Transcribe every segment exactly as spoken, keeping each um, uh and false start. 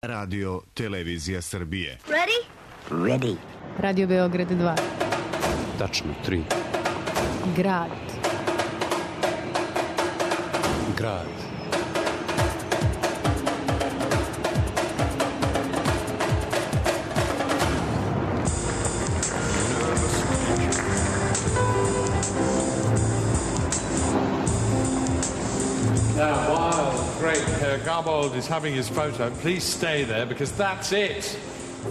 Radio Televizija Srbije. Ready? Ready. Radio Beograd dva. Tačno tri. Grad. Grad. Now, while great Herr Garbold is having his photo, please stay there because that's it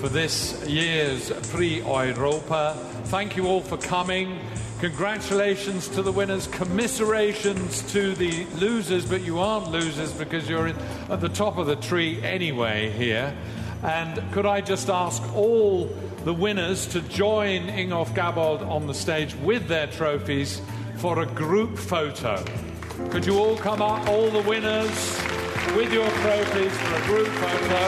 for this year's Prix Europa. Thank you all for coming. Congratulations to the winners, commiserations to the losers, but you aren't losers because you're in, at the top of the tree anyway here. And could I just ask all the winners to join Ingolf Gabold on the stage with their trophies for a group photo. Could you all come up, all the winners, with your trophies for a group photo?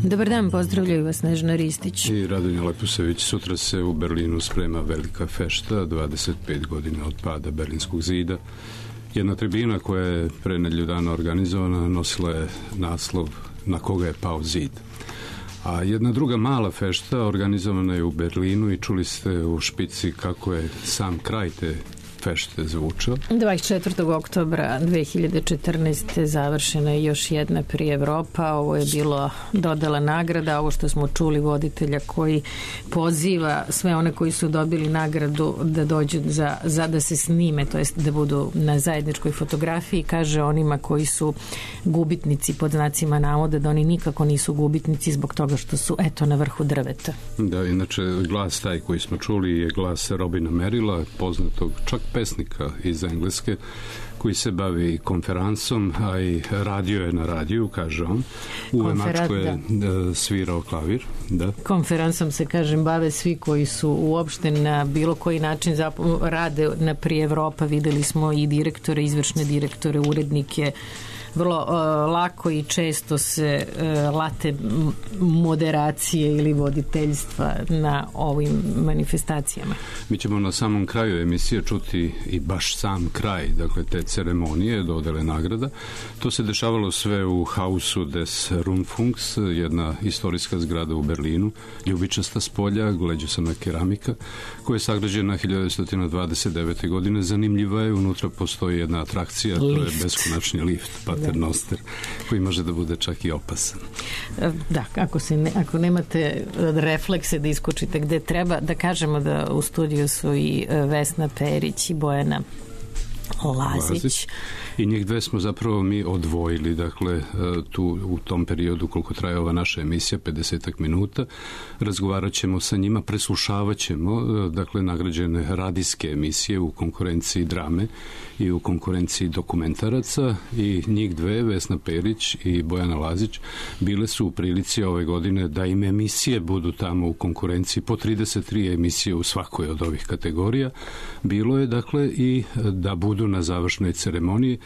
Dobar dan, pozdravljaju vas Snežana Ristić i Radonja Lepusević. Sutra se u Berlinu sprema velika fešta, dvadeset pet godina od pada Berlinskog zida. Jedna tribina koja je pre nedelju dana organizovana nosila je naslov Na koga je pao zid. A jedna druga mala fešta organizovana je u Berlinu i čuli ste u špici kako je sam kraj te fešte zvučao. dvadeset četvrtog oktobra dve hiljade četrnaeste. završena je još jedna Prix Europa. Ovo je bilo dodala nagrada, ovo što smo čuli voditelja koji poziva sve one koji su dobili nagradu da dođu za, za da se snime, to jest da budu na zajedničkoj fotografiji. Kaže onima koji su gubitnici pod znacima navoda da oni nikako nisu gubitnici zbog toga što su eto na vrhu drveta. Da, inače glas taj koji smo čuli je glas Robina Merrilla, poznatog čak pesnika iz Engleske, koji se bavi konferansom, a i radio je na radiju, kaže on. U Vemačku je da. svirao klavir. Da. Konferansom se, kažem, bave svi koji su uopšte na bilo koji način zap- rade na Prix Europa. Videli smo i direktore, izvršne direktore, urednike. Vrlo uh, lako i često se uh, late moderacije ili voditeljstva na ovim manifestacijama. Mi ćemo na samom kraju emisije čuti i baš sam kraj, dakle te ceremonije dodele nagrada. To se dešavalo sve u Hausu des Rundfunks, jedna istorijska zgrada u Berlinu, ljubičasta spolja, gleđusana keramika, koja je sagrađena hiljadu devetsto dvadeset devete. godine. Zanimljiva je, unutra postoji jedna atrakcija, lift. To je beskonačni lift, Paternoster, koji može da bude čak i opasan. Da, ako, se ne, ako nemate reflekse da iskočite gde treba, da kažemo da u studiju su i Vesna Perić i Bojana Lazić. Lazić. I njih dve smo zapravo mi odvojili, dakle, tu u tom periodu koliko traje ova naša emisija, pedeset minuta, razgovarat ćemo sa njima, preslušavat ćemo, dakle, nagrađene radijske emisije u konkurenciji drame i u konkurenciji dokumentaraca i njih dve, Vesna Perić i Bojana Lazić, bile su u prilici ove godine da im emisije budu tamo u konkurenciji, po trideset tri emisije u svakoj od ovih kategorija. Bilo je, dakle, i da budu na završnoj ceremoniji.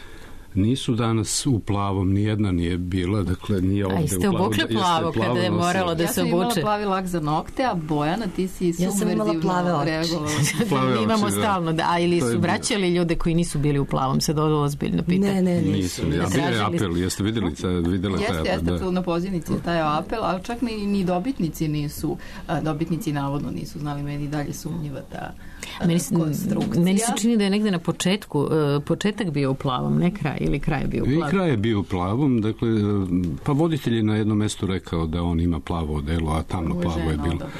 Nisu danas u plavom, nijedna nije bila, dakle nije ovde u plavom. A jeste obukle plavo kada je moralo da se obuče? Ja sam imala plavi lak za nokte, a Bojana, ti si subverzivno reagovala. Mi imamo stalno, da, a ili su vraćali ljude koji nisu bili u plavom, sad ovo ozbiljno pita. Ne, ne, nisu. Ja bio je apel, jeste videli, videla taj apel? Jeste, jeste, tu na pozivnici je taj apel, ali čak ni, ni dobitnici nisu, dobitnici navodno nisu znali, meni dalje sumnjiva ta Meni, konstrukcija. Meni se čini da je negde na početku, uh, početak bio u plavom, ne kraj, ili kraj je bio u plavom. I kraj je bio u plavom, dakle, pa voditelj je na jednom mestu rekao da on ima plavo odelo, a tamno plavo je bilo. Odabrala,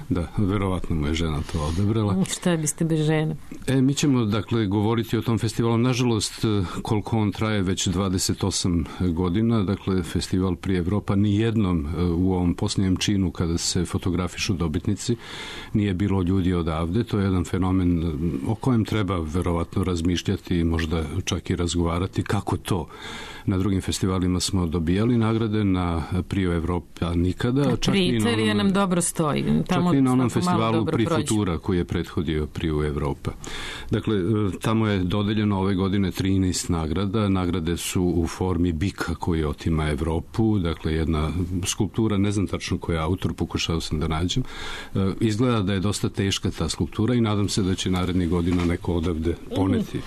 da. da, verovatno mu je žena to odabrala. Šta biste bez žene? E, mi ćemo, dakle, govoriti o tom festivalu. Nažalost, koliko on traje već dvadeset osam godina, dakle, festival Prix Europa, nijednom u ovom posljednjem činu kada se fotografišu dobitnici nije bilo ljudi odavde. To je jedan fenomen o kojem treba verovatno razmišljati i možda čak i razgovarati kako to. Na drugim festivalima smo dobijali nagrade, na Prio Evropa nikada. Čak i na onom, nam dobro stoji. Tamo čak i na onom festivalu Pri Futura koji je prethodio Prio Evropa. Dakle, tamo je dodeljeno ove godine trinaest nagrada. Nagrade su u formi bika koji otima Evropu. Dakle, jedna skulptura, ne znam tačno koji je autor, pokušao sam da nađem. Izgleda da je dosta teška ta skulptura i nadam se da će narednih godina neko odavde poneti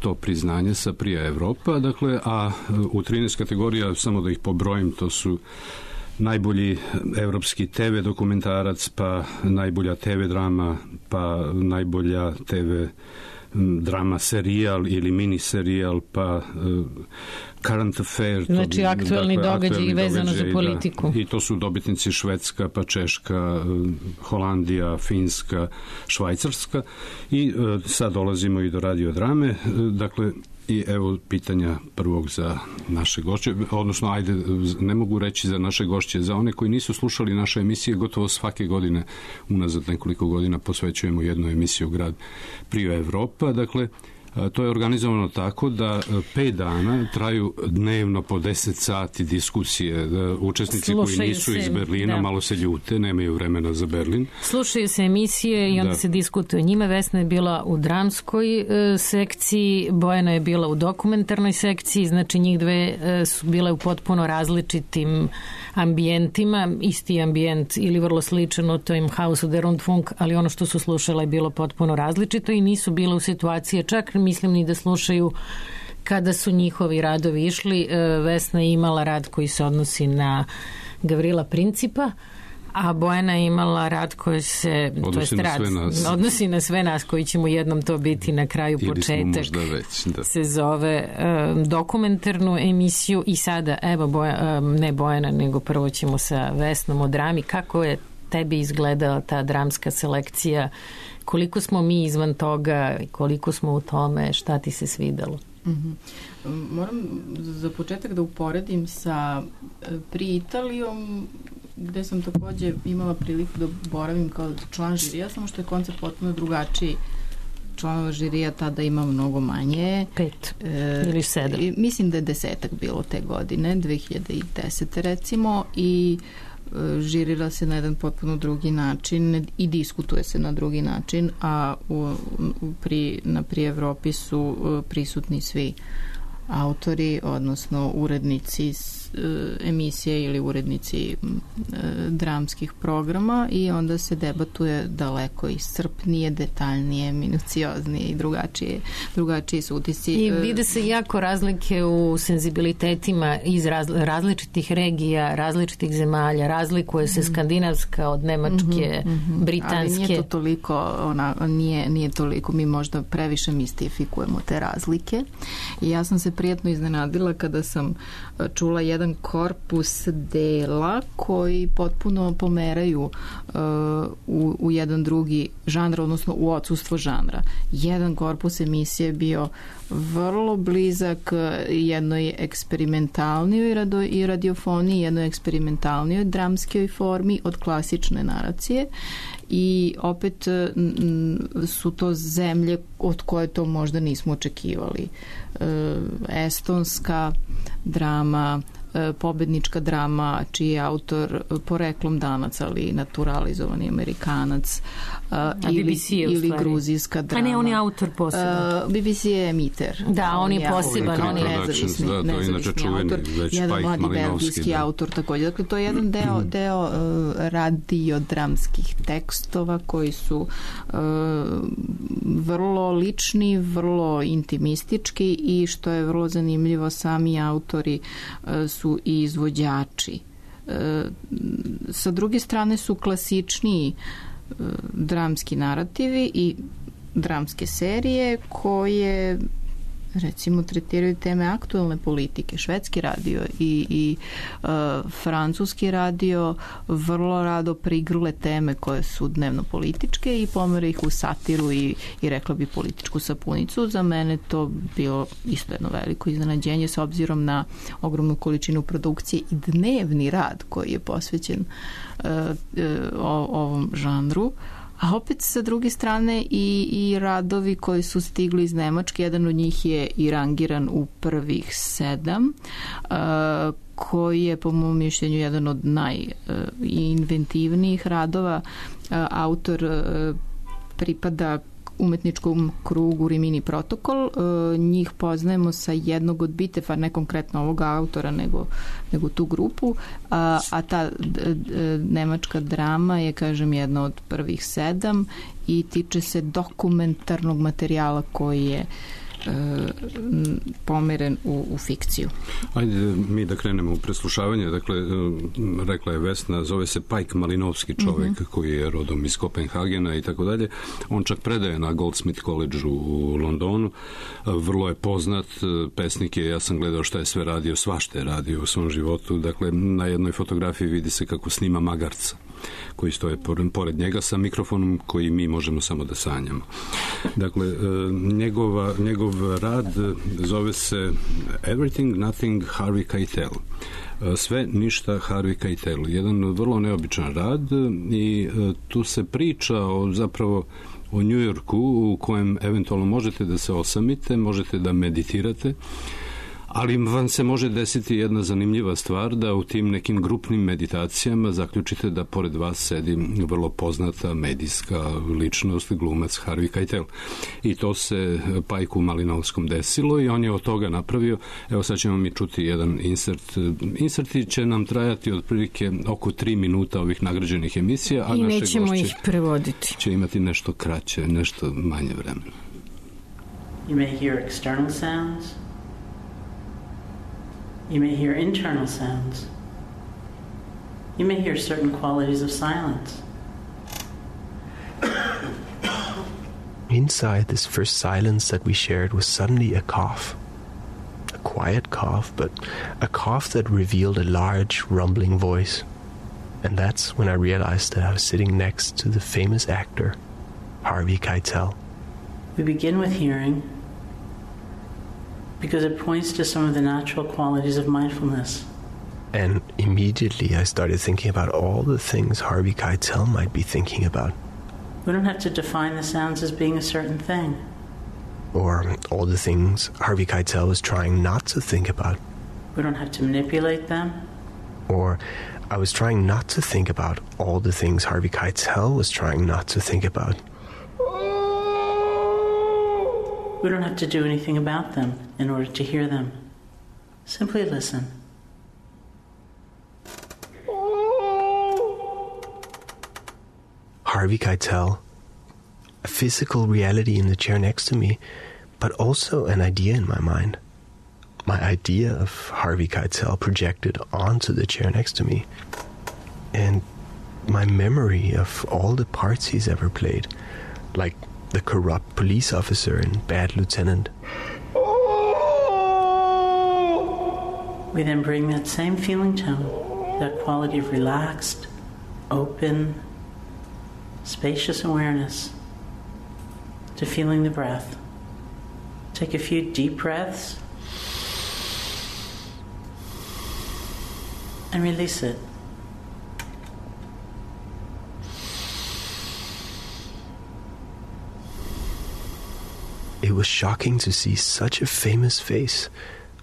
to priznanje sa Prija Evropa. Dakle, a u trinaest kategorija, samo da ih pobrojim, to su najbolji evropski te ve dokumentarac, pa najbolja te ve drama, pa najbolja te ve drama serijal ili mini serijal, pa uh, current affair. Znači, aktuelni dakle, događaj i vezano događaj, za politiku. Da, i to su dobitnici Švedska, pa Češka, Holandija, Finska, Švajcarska. I uh, sad dolazimo i do radiodrame. Uh, dakle, i evo pitanja prvog za naše gošće, odnosno ajde, ne mogu reći za naše gošće, za one koji nisu slušali naše emisije, gotovo svake godine, unazad nekoliko godina posvećujemo jednu emisiju Grad Prio Evropa. Dakle, to je organizovano tako da pet dana traju dnevno po deset sati diskusije. Učesnici Slušaju koji nisu se, iz Berlina da. malo se ljute, nemaju vremena za Berlin. Slušaju se emisije i onda da. se diskutuje njima. Vesna je bila u dramskoj e, sekciji, Bojana je bila u dokumentarnoj sekciji, znači njih dve e, su bile u potpuno različitim ambijentima, isti ambijent ili vrlo sličan od tojim Hausu der Rundfunk, ali ono što su slušala je bilo potpuno različito i nisu bile u situaciji, čak mislim ni da slušaju kada su njihovi radovi išli. Vesna je imala rad koji se odnosi na Gavrila Principa, a Bojana je imala rad koji se odnosi, to na, rad, sve nas. odnosi na sve nas, koji ćemo jednom to biti na kraju Ili početak već, da. se zove um, dokumentarnu emisiju. I sada evo Boja, um, ne Bojana, nego prvo ćemo sa Vesnom o drami. Kako je tebi izgledala ta dramska selekcija, koliko smo mi izvan toga, koliko smo u tome, šta ti se svidelo? Mm-hmm. Moram za početak da uporedim sa Pri Italijom, gde sam takođe imala priliku da boravim kao član žirija, samo što je koncept potpuno drugačiji. Članova žirija tada ima mnogo manje. Pet e, ili sedam. Mislim da je desetak bilo te godine, dve hiljade desete recimo, i žirira se na jedan potpuno drugi način i diskutuje se na drugi način, a u, u pri, na Pri Evropi su prisutni svi autori, odnosno urednici emisije ili urednici dramskih programa, i onda se debatuje daleko iscrpnije, detaljnije, minucioznije i drugačije, drugačiji su utisci. I vide se jako razlike u senzibilitetima iz različitih regija, različitih zemalja, razlikuje se skandinavska od nemačke, mm-hmm, britanske. Ali nije to toliko, ona, nije, nije toliko, mi možda previše mistifikujemo te razlike. I ja sam se prijatno iznenadila kada sam čula jedan jedan korpus dela koji potpuno pomeraju uh, u, u jedan drugi žanr, odnosno u odsustvo žanra. Jedan korpus emisije je bio vrlo blizak jednoj eksperimentalnijoj rado, i radiofoniji, jednoj eksperimentalnijoj dramskoj formi od klasične naracije, i opet m, su to zemlje od koje to možda nismo očekivali. E, estonska drama, e, pobednička drama čiji je autor poreklom Danac, ali naturalizovani Amerikanac, a, ili, ili gruzijska drama. A ne, on je autor poseban. B B C je emiter. Da, on, on je poseban. On je nezavisni, da, nezavisni autor. Jedan mladi belgijski da. autor također. Dakle, to je jedan deo, deo uh, radiodramskih tekstova koji su uh, vrlo lični, vrlo intimistički, i što je vrlo zanimljivo, sami autori uh, su i izvođači. Uh, sa druge strane su klasičniji dramski narativi i dramske serije koje recimo tretiraju teme aktuelne politike. Švedski radio i, i uh, francuski radio vrlo rado prigrle teme koje su dnevno političke i pomere ih u satiru i, i rekla bi političku sapunicu. Za mene to bilo isto jedno veliko iznenađenje s obzirom na ogromnu količinu produkcije i dnevni rad koji je posvećen uh, uh, ovom žanru. A opet sa druge strane i, i radovi koji su stigli iz Nemačke, jedan od njih je i rangiran u prvih sedam, uh, koji je po mom mišljenju jedan od najinventivnijih radova. Uh, autor uh, pripada umetničkom krugu Rimini Protokol. E, njih poznajemo sa jednog od biteva, ne konkretno ovoga autora, nego, nego tu grupu, a, a ta d, d, nemačka drama je, kažem, jedna od prvih sedam i tiče se dokumentarnog materijala koji je pomeren u, u fikciju. Ajde mi da krenemo u preslušavanje. Dakle, rekla je Vesna, zove se Pajk Malinovski, čovjek mm-hmm. koji je rodom iz Kopenhagena i tako dalje. On čak predaje na Goldsmith College u Londonu. Vrlo je poznat, pesnik je, ja sam gledao šta je sve radio, svašta je radio u svom životu. Dakle, na jednoj fotografiji vidi se kako snima magarca koji stoje pored njega sa mikrofonom koji mi možemo samo da sanjamo. Dakle, njegova, njegov rad zove se Everything, Nothing, Harvey Keitel. Sve, ništa, Harvey Keitel. Jedan vrlo neobičan rad i tu se priča o zapravo o Njujorku u kojem eventualno možete da se osamite, možete da meditirate, ali vam se može desiti jedna zanimljiva stvar, da u tim nekim grupnim meditacijama zaključite da pored vas sedi vrlo poznata medijska ličnost, glumac Harvey Keitel. I to se Pajku Malinovskom desilo i on je od toga napravio. Evo sad ćemo mi čuti jedan insert. Inserti će nam trajati otprilike oko tri minuta ovih nagrađenih emisija, a i naše nećemo ih prevoditi. Će imati nešto kraće, nešto manje vremena. You may hear external sounds. You may hear internal sounds. You may hear certain qualities of silence. Inside this first silence that we shared was suddenly a cough. A quiet cough, but a cough that revealed a large, rumbling voice. And that's when I realized that I was sitting next to the famous actor, Harvey Keitel. We begin with hearing because it points to some of the natural qualities of mindfulness. And immediately I started thinking about all the things Harvey Keitel might be thinking about. We don't have to define the sounds as being a certain thing. Or all the things Harvey Keitel was trying not to think about. We don't have to manipulate them. Or I was trying not to think about all the things Harvey Keitel was trying not to think about. We don't have to do anything about them in order to hear them. Simply listen. Harvey Keitel, a physical reality in the chair next to me, but also an idea in my mind. My idea of Harvey Keitel projected onto the chair next to me. And my memory of all the parts he's ever played, like the corrupt police officer and Bad Lieutenant. We then bring that same feeling tone, that quality of relaxed, open, spacious awareness, to feeling the breath. Take a few deep breaths and release it. It was shocking to see such a famous face,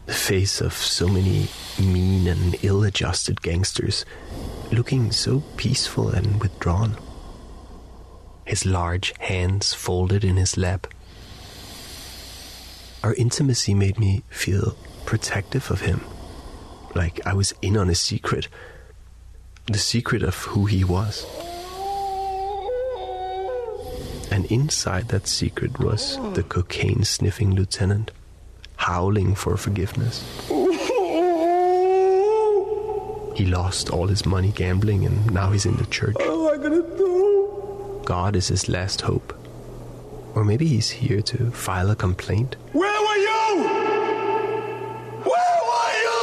the face of so many mean and ill-adjusted gangsters, looking so peaceful and withdrawn. His large hands folded in his lap. Our intimacy made me feel protective of him, like I was in on a secret, the secret of who he was. And inside that secret was the cocaine-sniffing lieutenant, howling for forgiveness. He lost all his money gambling and now he's in the church. What am I gonna do? God is his last hope. Or maybe he's here to file a complaint. Where were you? Where were you?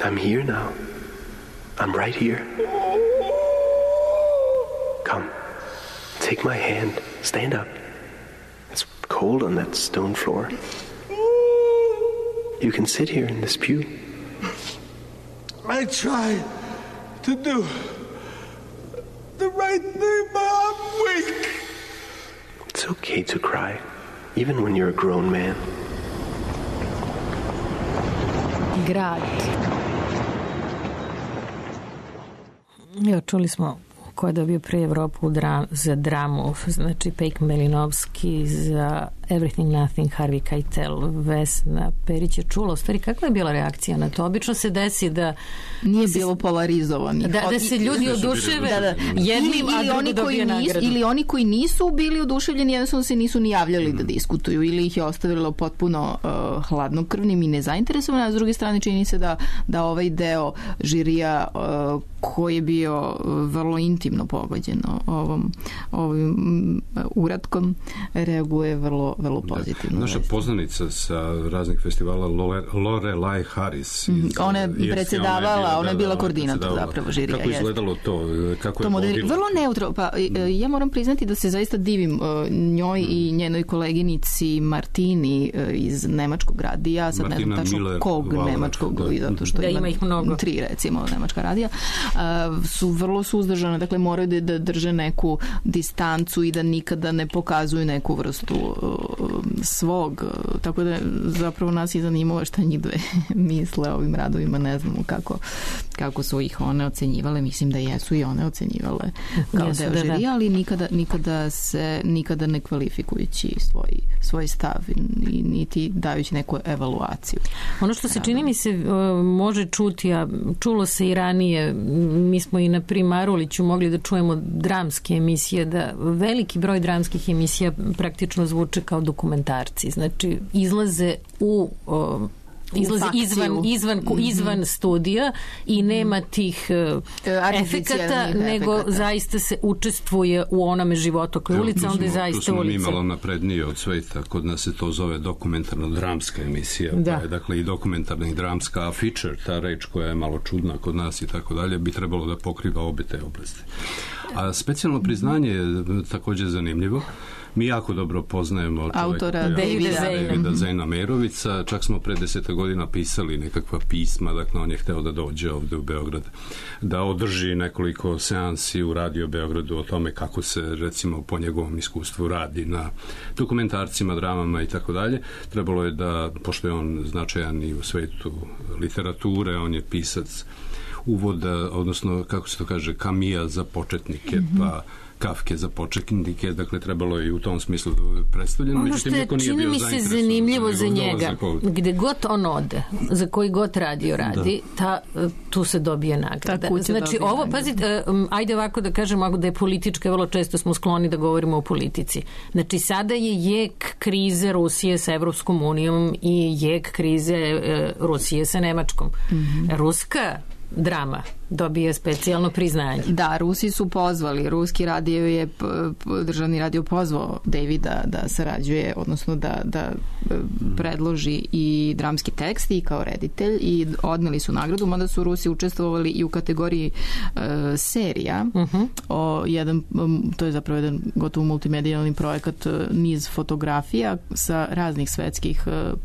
I'm here now. I'm right here. Come, take my hand. Stand up. It's cold on that stone floor. You can sit here in this pew. I tried to do the right thing, but I'm weak. It's okay to cry, even when you're a grown man. Grad. Evo, čuli smo ko je dobio pre Evropu dra, za dramu, znači Pejk Melinovski, za Everything Nothing, Harvey Keitel, Vesna Perić je čula. U stvari, kakva je bila reakcija na to? Obično se desi da... Nije bilo polarizovani. Da, da se ljudi oduševe da, da, jednim, ili, a drugo dobije nagradu. Ili oni koji nisu bili oduševljeni, jednostavno se nisu ni javljali mm. da diskutuju, ili ih je ostavilo potpuno uh, hladnokrvnim i nezainteresovani, a s druge strane čini se da, da ovaj deo žirija uh, koji je bio vrlo intimno pogođen ovom, ovim uratkom, reaguje vrlo vrlo pozitivno. Da. Naša poznanica sa raznih festivala Lorelai Harris. Mm, ona je predsedavala, ona je bila koordinator zapravo žirija. Kako je izgledalo to? Kako to je modeli, vrlo neutro. Pa, ja moram priznati da se zaista divim njoj mm. i njenoj koleginici Martini iz nemačkog radija. Sad Martina ne znam tačno Miller, kog Valak, nemačkog, da. zato što da, ima, ima ih mnogo. Tri recimo nemačka radija. Uh, su vrlo suzdržane, dakle moraju da, da drže neku distancu i da nikada ne pokazuju neku vrstu uh, svog, tako da zapravo nas i zanimalo šta njih dve misle o ovim radovima, ne znamo kako, kako su ih one ocenjivale, mislim da jesu i one ocenjivale kao jesu, deo da, žirija, ali nikada, nikada se nikada ne kvalifikujući svoj, svoj stav i niti dajući neku evaluaciju. Ono što se čini mi se može čuti, a čulo se i ranije, mi smo i na Primaruliću mogli da čujemo dramske emisije, da veliki broj dramskih emisija praktično zvuče kao dokumentarci. Znači, izlaze u... O, izlazi izvan, izvan, mm-hmm. izvan studija i nema tih uh, efekata, nego efekata. Zaista se učestvuje u onome životu koja ulica, onda je zaista ulica. Tu smo mi malo naprednije od sveta, kod nas se to zove dokumentarno-dramska emisija, da. Pa je, dakle i dokumentarna i dramska, a feature, ta reč koja je malo čudna kod nas i tako dalje, bi trebalo da pokriva obe te oblasti. A specijalno priznanje je također zanimljivo. Mi jako dobro poznajemo autora Davida, Davida Zejna Merovica, čak smo pre deseta godina pisali nekakva pisma, dakle on je hteo da dođe ovde u Beograd, da održi nekoliko seansi u Radio Beogradu o tome kako se recimo po njegovom iskustvu radi na dokumentarcima, dramama i tako dalje. Trebalo je da, pošto je on značajan i u svetu literature, on je pisac uvoda, odnosno kako se to kaže, Kamija za početnike, mm-hmm. pa Kafke za početnike, dakle trebalo je i u tom smislu predstavljeno. Ono što je, čini mi se zanimljivo za njega, gde god on ode, za koji god radio radi, ta, tu se dobije nagrada. Znači ovo, pazite, ajde ovako da kažemo, ako da je politička, vrlo često smo skloni da govorimo o politici. Znači sada je jek krize Rusije sa Evropskom unijom i jek krize Rusije sa Nemačkom. Mm-hmm. Ruska drama dobije specijalno priznanje. Da, Rusi su pozvali, ruski radio je, državni radio pozvao Davida da sarađuje, odnosno da, da predloži i dramski tekst i kao reditelj i odneli su nagradu, mada su Rusi učestvovali i u kategoriji uh, serija. Uh-huh. O jedan, to je zapravo jedan gotovo multimedijalni projekat, niz fotografija sa raznih svetskih uh,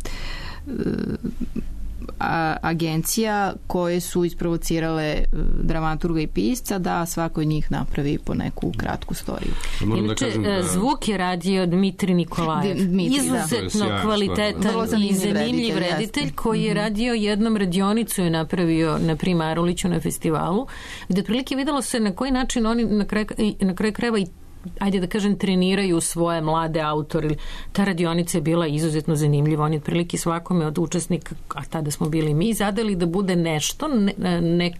A, agencija koje su isprovocirale dramaturga i pisca da svako od njih napravi po neku kratku storiju. Inače, da da... zvuk je radio Dmitri Nikolajev. Dmitri, izuzetno da. Kvalitetan i zanimljiv reditelj, reditelj koji je radio jednom radionicu je napravio na Primaruliću na festivalu, gde otprilike videlo se na koji način oni na kraju, na kraju krajeva i ajde da kažem, treniraju svoje mlade autore. Ta radionica je bila izuzetno zanimljiva. Oni otprilike svakome od učesnika, a tada smo bili mi, zadali da bude nešto, ne, ne,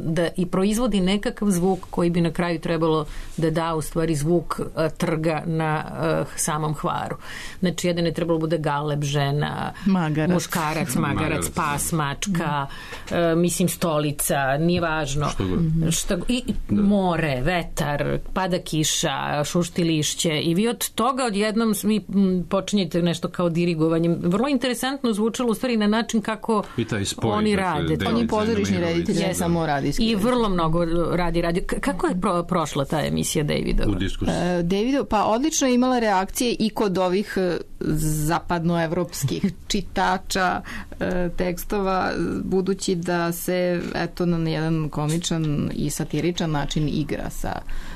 da i proizvodi nekakav zvuk koji bi na kraju trebalo da da u stvari zvuk uh, trga na uh, samom Hvaru. Znači, jedan je trebalo bude galeb, žena, magarac. muškarac, magarac, magarac pas, mačka, mm. uh, mislim stolica, nije važno. Što mm-hmm. Šta, i da. More, vetar, pada kiša, šušti lišće i vi od toga odjednom vi počinjete nešto kao dirigovanje. Vrlo interesantno zvučalo u stvari na način kako spoj, oni rade. On je pozorišni reditelj, ne samo radijski. I vrlo mnogo radi radio. Kako je pro, prošla ta emisija Davidova? U diskusiji. Uh, Davidov, pa odlično je imala reakcije i kod ovih zapadnoevropskih čitača e, tekstova, budući da se eto na jedan komičan i satiričan način igra sa,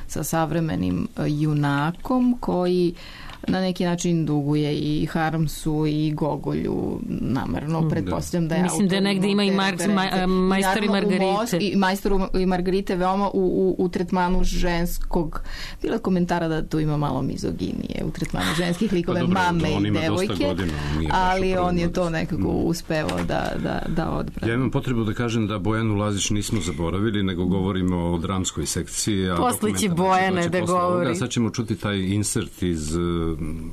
sa savremenim junakom koji na neki način duguje i Harmsu i Gogolju, namerno pretpostavljam da je mislim da negde ima i Marks, ma, Majstor i Margarite i Majstor i Margarite veoma u, u, u tretmanu ženskog, bilo je komentara da tu ima malo mizoginije u tretmanu ženskih likova, pa mame i devojke, godina, ali on je to nekako uspevao da, da, da odbrani. Ja imam potrebu da kažem da Bojanu Lazić nismo zaboravili, nego govorimo o dramskoj sekciji, a posle će Bojane da govori. Ovoga. Sad ćemo čuti taj insert iz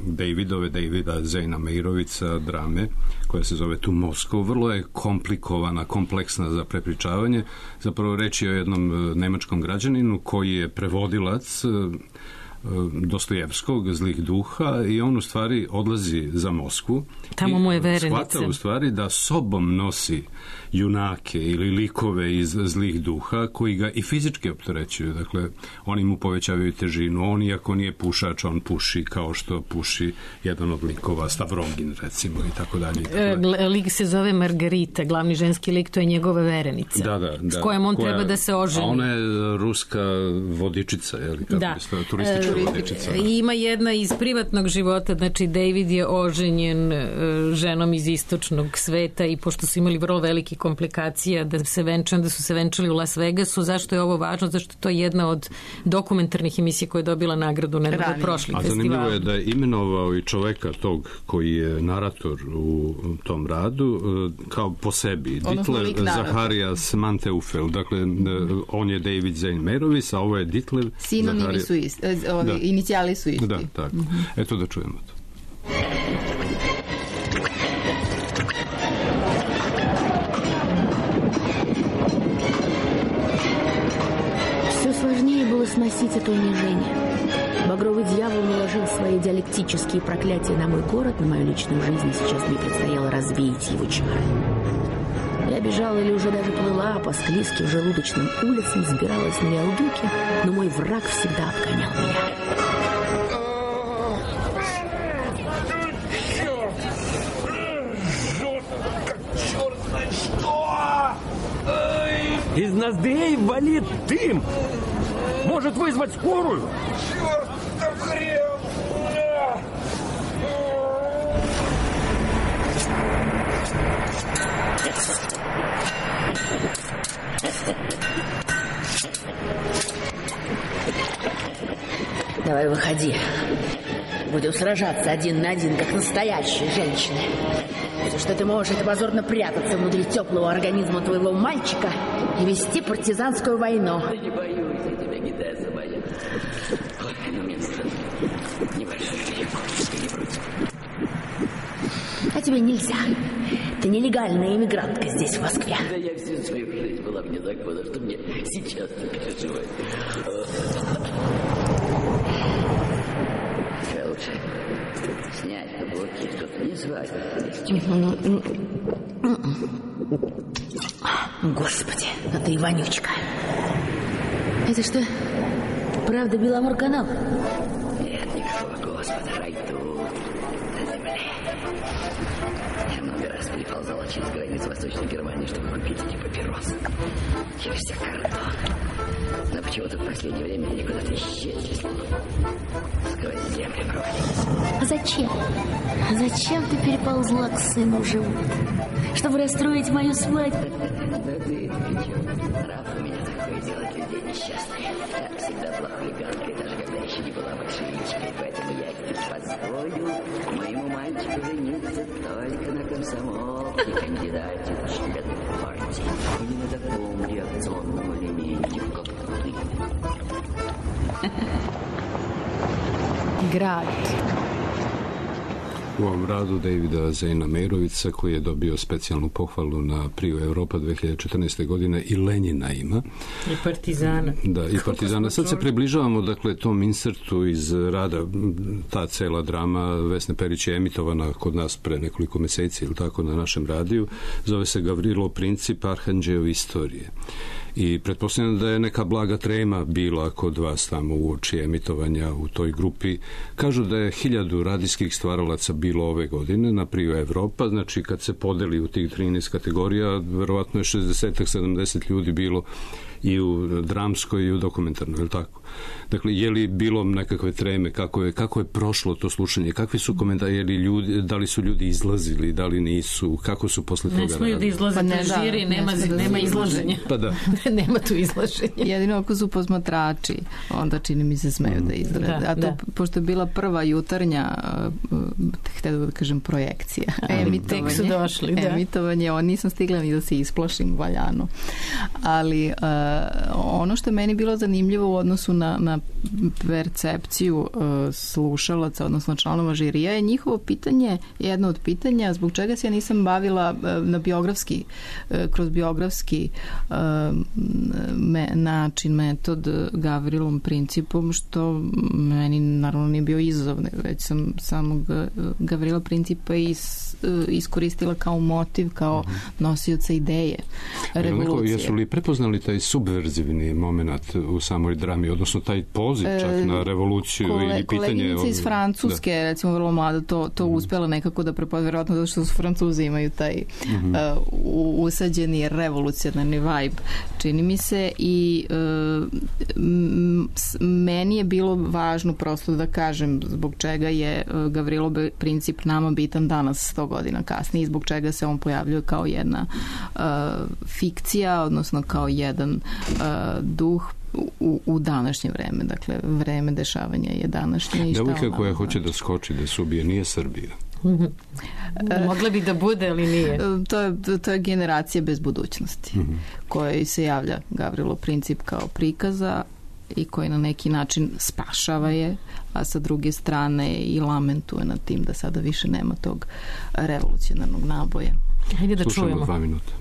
Davidove, Davida Zejna Meirovica drame koja se zove Tu Moskva. Vrlo je komplikovana, kompleksna za prepričavanje. Zapravo reč je o jednom nemačkom građaninu koji je prevodilac Dostojevskog, Zlih duha, i on u stvari odlazi za Moskvu. Tamo mu je verenica. Shvata u stvari da sobom nosi junake ili likove iz Zlih duha koji ga i fizički opterećuju. Dakle, oni mu povećavaju težinu. On, iako nije pušač, on puši kao što puši jedan od likova, Stavrogin recimo, i tako dalje. E, lik se zove Margarita, glavni ženski lik, to je njegova verenica. Da, da, da. S kojom on koja, treba da se oženi. A ona je ruska vodičica, je li? Kako da. Bi turistička e, vodičica. I ima jedna iz privatnog života, znači David je oženjen ženom iz istočnog sveta i pošto su imali vrlo veliki komplikacija da se venčan, da su se venčali u Las Vegasu. Zašto je ovo važno? Zašto je to jedna od dokumentarnih emisija koja je dobila nagradu na prošli festival. A zanimljivo je da je imenovao i čoveka tog koji je narator u tom radu kao po sebi. Ditler Zaharias Manteufel. Dakle, on je David Zejn Meirovic, a ovo je Ditler Sinonimi Zaharias... su isti, ovi, da. Inicijali su isti. Da, tako. Mm-hmm. Eto da čujemo to. Сносить это унижение. Багровый дьявол наложил свои диалектические проклятия на мой город, на мою личную жизнь, и сейчас мне предстояло развеять его чары. Я бежала или уже даже плыла по склизким желудочным улицам, сбиралась на виадуке, но мой враг всегда обгонял меня. Из ноздрей валит дым! Может вызвать скорую? Чёртов хрен! Давай выходи. Будем сражаться один на один, как настоящие женщины. Все, что ты можешь, это позорно прятаться внутри теплого организма твоего мальчика и вести партизанскую войну. Да не боюсь, я тебя не дай забоять. Ой, ну мне нужен небольшой перекур, ты не против. А тебе нельзя. Ты нелегальная иммигрантка здесь, в Москве. Да я всю свою жизнь была вне закона, что мне сейчас не переживать. Лучше снять каблуки, чтобы не звать. Господи, а ты и вонючка. Это что, правда Беломорканал? Нет, никакого Господа, рай тут, на земле. Я много раз переползала через границу Восточной Германии, чтобы купить эти папиросы. Через всех картон. Но почему-то в последнее время они куда-то исчезли. Сквозь земли провалились. А зачем? А зачем ты переползла к сыну в живот? Чтобы расстроить мою свадьбу? Да ты это причем? Нрав у меня такое делать людей несчастных. Я всегда была хулиганкой, даже когда еще не была большевичкой. Поэтому я не позволю моему мальчику жениться только на комсомолке, кандидате в члены партии. И не на таком реакционном элементе, как ты. Grad. U ovom radu Davida Zejna Meirovica, koji je dobio specijalnu pohvalu na Priju Europa dve hiljade četrnaeste. godine, i Lenjina ima. I Partizana. Da, i Partizana. Sad se približavamo, dakle, tom insertu iz rada. Ta cela drama Vesne Perić je emitovana kod nas pre nekoliko meseci ili tako na našem radiju. Zove se Gavrilo Princip, Arhanđeo istorije. I pretpostavljam da je neka blaga trema bila kod vas tamo uoči emitovanja u toj grupi. Kažu da je hiljadu radijskih stvaralaca bilo ove godine na Priju Evropa, znači kad se podeli u tih trinaest kategorija, verovatno je šezdeset sedamdeset ljudi bilo i u dramskoj i u dokumentarnoj, je li tako? Dakle, je li bilo nekakve treme, kako je, kako je prošlo to slušanje, kakvi su komentari, je li ljudi, da li su ljudi izlazili, da li nisu, kako su posle toga radili? Ne smo ljudi izlaziti pa na žiri, nema, ne nema izlaženja. Pa da. Nema tu izlaženja. Jedino ako su posmatrači, onda čini mi se smeju mm. da izrade. Da, A to, da. Pošto je bila prva jutarnja, htjela da kažem, projekcija. Emitovanje. Tek su došli, da. Emitovanje, on nisam stigla ni da se isplašim valjano. Ali uh, ono što je meni bilo zanimljivo u odnosu na, na percepciju uh, slušalaca, odnosno članova žirija, je njihovo pitanje, jedno od pitanja zbog čega se ja nisam bavila uh, na biografski, uh, kroz biografski uh, me, način, metod Gavrilom principom, što meni naravno nije bio izazov, već sam samog Gavrila principa is, uh, iskoristila kao motiv, kao nosioca ideje revolucije. Jesu li prepoznali taj subverzivni moment u samoj drami, odnosno taj poziv čak na revoluciju Kole, ili pitanje... Koleginica iz Francuske, da. recimo vrlo mlada, to, to mm. uspjela nekako da prepozna, vjerojatno zato što su Francuzi imaju taj mm-hmm. uh, usađeni revolucionarni vibe, čini mi se, i uh, m, meni je bilo važno prosto da kažem zbog čega je uh, Gavrilov princip nama bitan danas sto godina kasnije i zbog čega se on pojavljuje kao jedna uh, fikcija, odnosno kao jedan uh, duh u, u današnje vreme. Dakle, vreme dešavanja je današnje. Devojka koja hoće da skoči, da se ubije, nije Srbija. Mogla bi da bude, ali nije. To je, to je generacija bez budućnosti, mm-hmm. kojoj se javlja Gavrilov princip kao prikaza i koji na neki način spašava je, a sa druge strane i lamentuje nad tim da sada više nema tog revolucionarnog naboja. Hajde da Slušamo čujemo. dva minuta.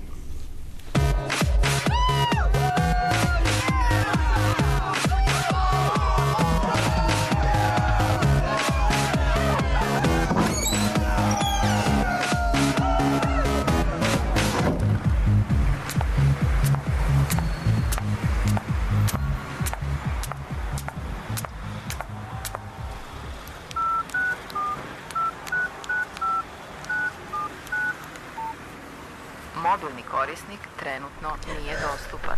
Modulni korisnik trenutno nije dostupan.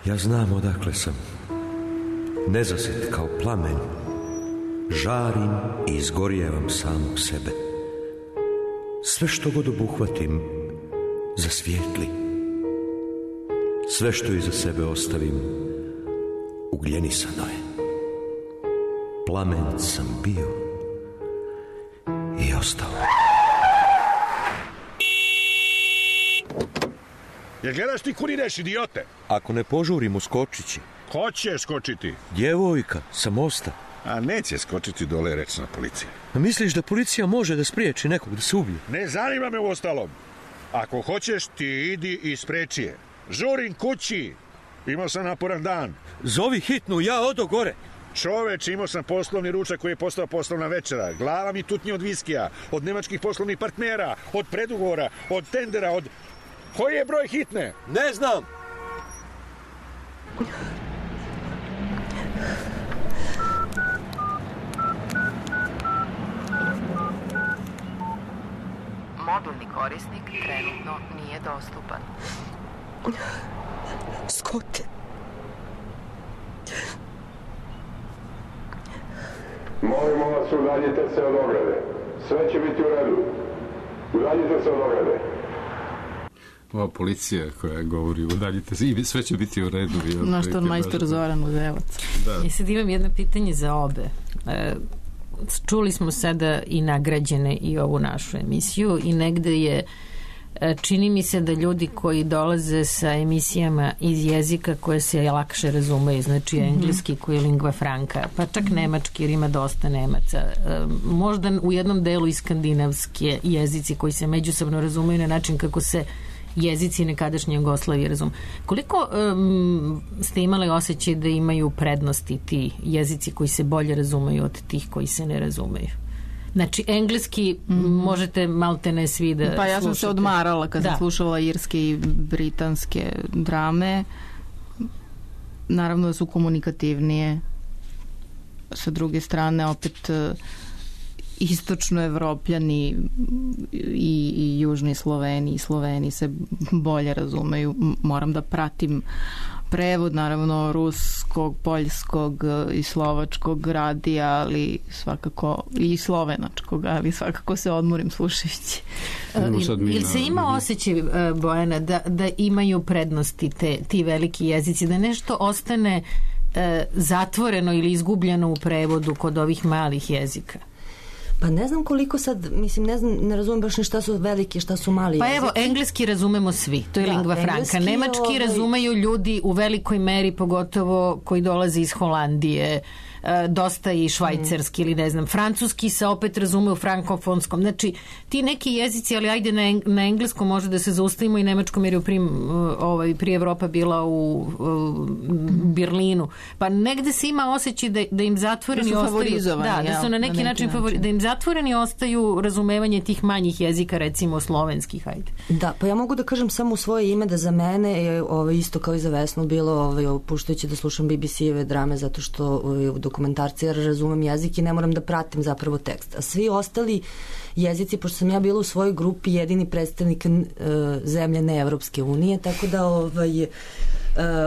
Ja znam odakle sam. Nezasit kao plamen. Žarim i izgorijevam samog sebe. Sve što god obuhvatim zasvijetli. Sve što iza sebe ostavim ugljenisano je. Plamen sam bio i ostao. Jer gledaš ti kud ideš, idiote? Ako ne požurim, uskočit će. Ko će skočiti? Djevojka sa mosta. A neće skočiti dole, reći na policiji. A misliš da policija može da spriječi nekog da se ubije? Ne zanima me u ostalom. Ako hoćeš, ti idi i spreči je. Žurim kući. Imao sam naporan dan. Zovi hitnu, ja odo gore. Čoveč, imao sam poslovni ručak koji je postao poslovna večera. Glava mi tutnje od viskija, od nemačkih poslovnih partnera, od predugovora, od tendera, od... Koji je broj hitne? Ne znam. Modulni korisnik trenutno nije dostupan. Scott. Molimo vas, udaljite se od ograde. Sve će biti u redu. Udaljite se od ograde. Ova policija koja govori udaljite se i sve će biti u redu. Naš to majstor Zoran Uzevac. Ja sad imam jedno pitanje za obe. E, čuli smo sada i nagrađene i ovu našu emisiju i negde je čini mi se da ljudi koji dolaze sa emisijama iz jezika koje se lakše razumeju, znači engleski koji je lingva franca, pa čak nemački jer ima dosta Nemaca, možda u jednom delu i skandinavske jezici koji se međusobno razumeju na način kako se jezici nekadašnje Jugoslavije razume. Koliko um, ste imali osjećaj da imaju prednosti ti jezici koji se bolje razumeju od tih koji se ne razumeju? Znači, engleski mm-hmm. možete malte ne svi da Pa ja sam slušate. se odmarala kad da. sam slušala irske i britanske drame. Naravno da su komunikativnije. Sa druge strane, opet istočno evropljani i, i južni Sloveni i Sloveni se bolje razumeju. Moram da pratim prevod, naravno, ruskog, poljskog i slovačkog radija, ali svakako i slovenačkog, ali svakako se odmorim slušajući. Ili se ima osjećaj, Bojana, da, da imaju prednosti te, ti veliki jezici, da nešto ostane e, zatvoreno ili izgubljeno u prevodu kod ovih malih jezika? Pa ne znam koliko sad, mislim, ne znam, ne razumem baš ni šta su veliki, šta su mali pa jezici. Pa evo, engleski razumemo svi, to je da, lingva franca. Nemački ovaj... razumeju ljudi u velikoj meri, pogotovo koji dolaze iz Holandije, dosta i švajcarski mm. ili ne znam, francuski se opet razume u frankofonskom. Znači, ti neki jezici, ali ajde na, eng na engleskom može da se zaustavimo i nemačkom, jer je prim, ovaj, prije Evropa bila u, u Berlinu. Pa negde se ima osjećaj da, da im zatvoreni da ostaju... Da, da su na neki, na neki način, način. Da im zatvoreni ostaju razumevanje tih manjih jezika, recimo slovenskih, ajde. Da, pa ja mogu da kažem samo u svoje ime da za mene je ovaj, isto kao i za Vesnu bilo ovaj, opuštajući da slušam B B C-eve drame zato što ovaj, u dokumentarci, jer razumem jezik i ne moram da pratim zapravo tekst. A svi ostali jezici, pošto sam ja bila u svojoj grupi jedini predstavnik uh, zemlje ne Evropske unije, tako da ovaj, uh,